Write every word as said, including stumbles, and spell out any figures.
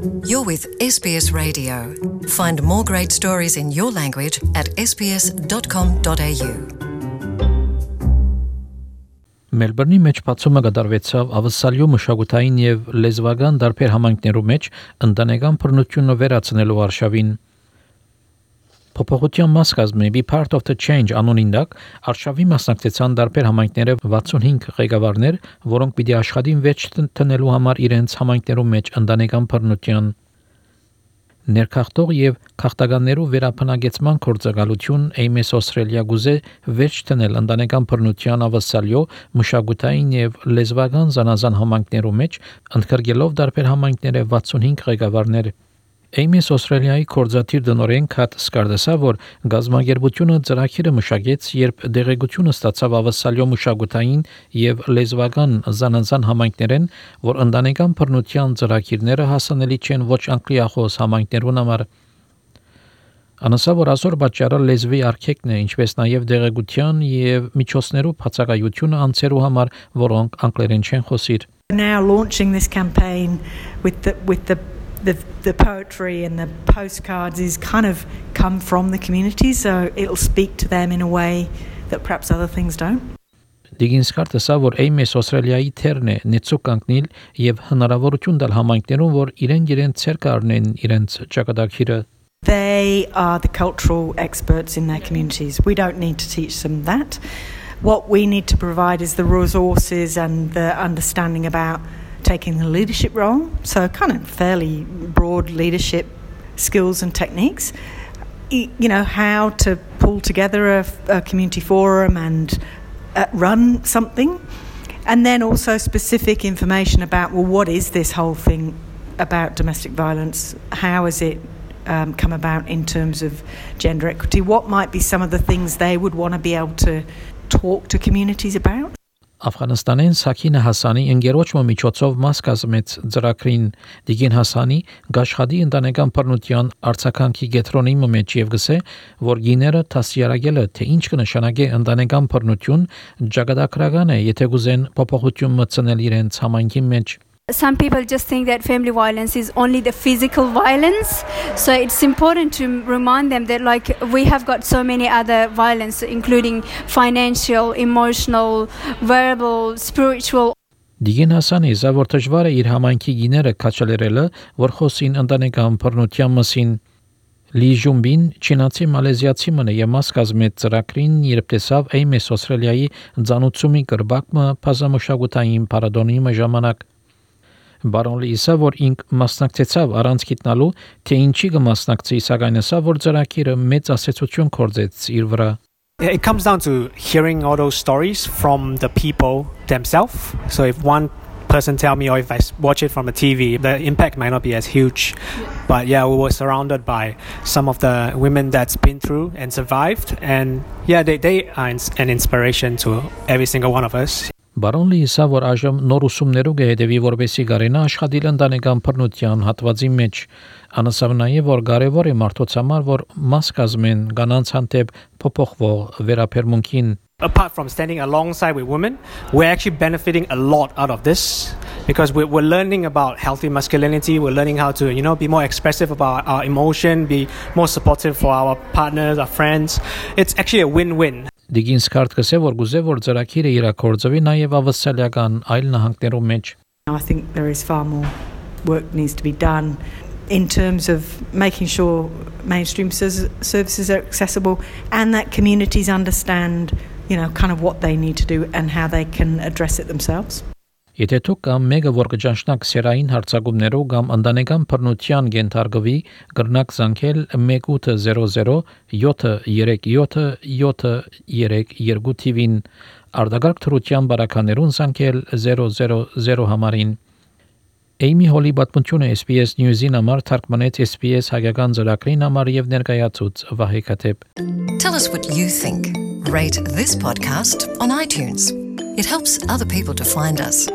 You're with S B S Radio. Find more great stories in your language at s b s dot com dot a u. Մելբուրնի մեջ բացումը կատարվեցավ ավսալյո մշակութային եւ լեզվական դարբեր համայնքներու մեջ ընտանեկան բռնությունը վերացնելու արշավին Փոփոխության մաս կազմի Be Part of the Change անունին դակ արշավի մասնակցեցան դարբեր համայնքները վաթսունհինգ ղեկավարներ, որոնք պիտի աշխատին վեճ տնելու համար իրենց համայնքներու մեջ ընտանեկան բռնության ներքախտող եւ քաղաքականներու վերապնագեցման կորցակալություն Ames Australia գուզե վեճ տնել ընտանեկան բռնության ավսալյո մշակութային եւ լեզվական զանազան համայնքներու մեջ ընդգրկելով դարբեր համայնքները վաթսունհինգ ղեկավարներ Ames Australia-ի կորզաթիր դնորեն Քաթ Սկարդասա, որ գազագերբությունը ծրագիրը մշակեց, երբ դեղեցությունը ստացավ ավսալյո մշակութային եւ լեզվական զանազան համայնքներեն, որ ընտանեկան բռնության ծրագիրները հասանելի չեն ոչ անգլիախոս համայնքներուն համար։ Անասա որ այսօր պատճառը լեզվի արգելքն է, ինչպես նաեւ դեղեցության եւ միջոցներու բացակայությունը անցերու համար, որոնք անգլերեն չեն խոսիր։ Now launching this campaign with the with the The, the poetry and the postcards is kind of come from the community, so it'll speak to them in a way that perhaps other things don't. Դիգինս քարտեսա որ Ames Australia-ի թերն է նեցուկ կանգնել եւ հնարավորություն տալ համայնքներուն, որ իրեն իրեն ցեր կառնեն իրենց ճակատագիրը They are the cultural experts in their communities. We don't need to teach them that. What we need to provide is the resources and the understanding about taking the leadership role, so kind of fairly broad leadership skills and techniques. You know, how to pull together a, a community forum and uh, run something, and then also specific information about, well, what is this whole thing about domestic violence? How has it um, come about in terms of gender equity? What might be some of the things they would want to be able to talk to communities about? Աֆղանստանեն Սաքինա Հասանի ընկերոջը միջոցով մաս կազմեց ծրագրին Դիգին Հասանի գաշխադի ընտանեկան բռնության արցականքի գետրոնի մեջ եւ գսե որ գիները տասյարակելը թե ինչ կնշանակե ընտանեկան բռնություն ճակատագրական է եթե գուզեն փոփոխություն մտցնել իրենց համայնքի մեջ Some people just think that family violence is only the physical violence. So it's important to remind them that like we have got so many other violence, including financial, emotional, verbal, spiritual. Դիգին Հասանի զավոր դժվար է իր համայնքի գիները քաչալերելը, որ խոսին ընտանեկան բռնության մասին։ Լի Ժումբին չինացի մալեզիացի մնը եւ մաս կազմեց ծրագրին, երբ տեսավ Ames Australia-ի ցանուցումի կրբակը բազմամշակութային պարադոնի ժամանակ Բարոն Լիսա որ ինք մասնակցեցավ առանց գիտնալու թե ինչի կմասնակցի սակայն ասա որ ծրագիրը մեծ ասացություն կորձեց իր վրա It comes down to hearing all those stories from the people themselves. So if one person tell me or if I watch it from a T V, the impact might not be as huge. But yeah, we were surrounded by some of the women that's been through and survived. And yeah, they, they are an inspiration to every single one of us. Բարոն Լիսա որ այժմ նոր ուսումներով գեհդեվի որբեսի գարենա աշխատել ընտանեկան բռնության հատվածի մեջ անասավ նաև որ կարևոր է մարդոց համար որ մաս կազմեն կանանց հանդեպ փոփոխվող վերաբերմունքին Apart from standing alongside with women, we're actually benefiting a lot out of this because we're, we're learning about healthy masculinity. We're learning how to, you know, be more expressive about our emotion, be more supportive for our partners, our friends. It's actually a win-win. Դիգինս քարտ կսե որ գուզե որ ծրագիրը իրակորձվի նաև ավսալական այլ նահանգներում մեջ I think there is far more work needs to be done in terms of making sure mainstream services are accessible and that communities understand, you know, kind of what they need to do and how they can address it themselves. Եթե դուք կամ մեկը որ կճանչնակ սերային հարցակումներով կամ ընտանեկան բռնության գենթարգվի գրնակ զանգել one eight zero zero seven three seven seven three two թիվին արդագարգ թրության բարականերուն զանգել zero zero zero համարին Amy Holly պատմությունը S B S News-ին համար թարգմանեց S B S հայկական ծրագրին համար եւ ներկայացուց Վահե Քաթեփ Tell us what you think. Rate this podcast on iTunes. It helps other people to find us.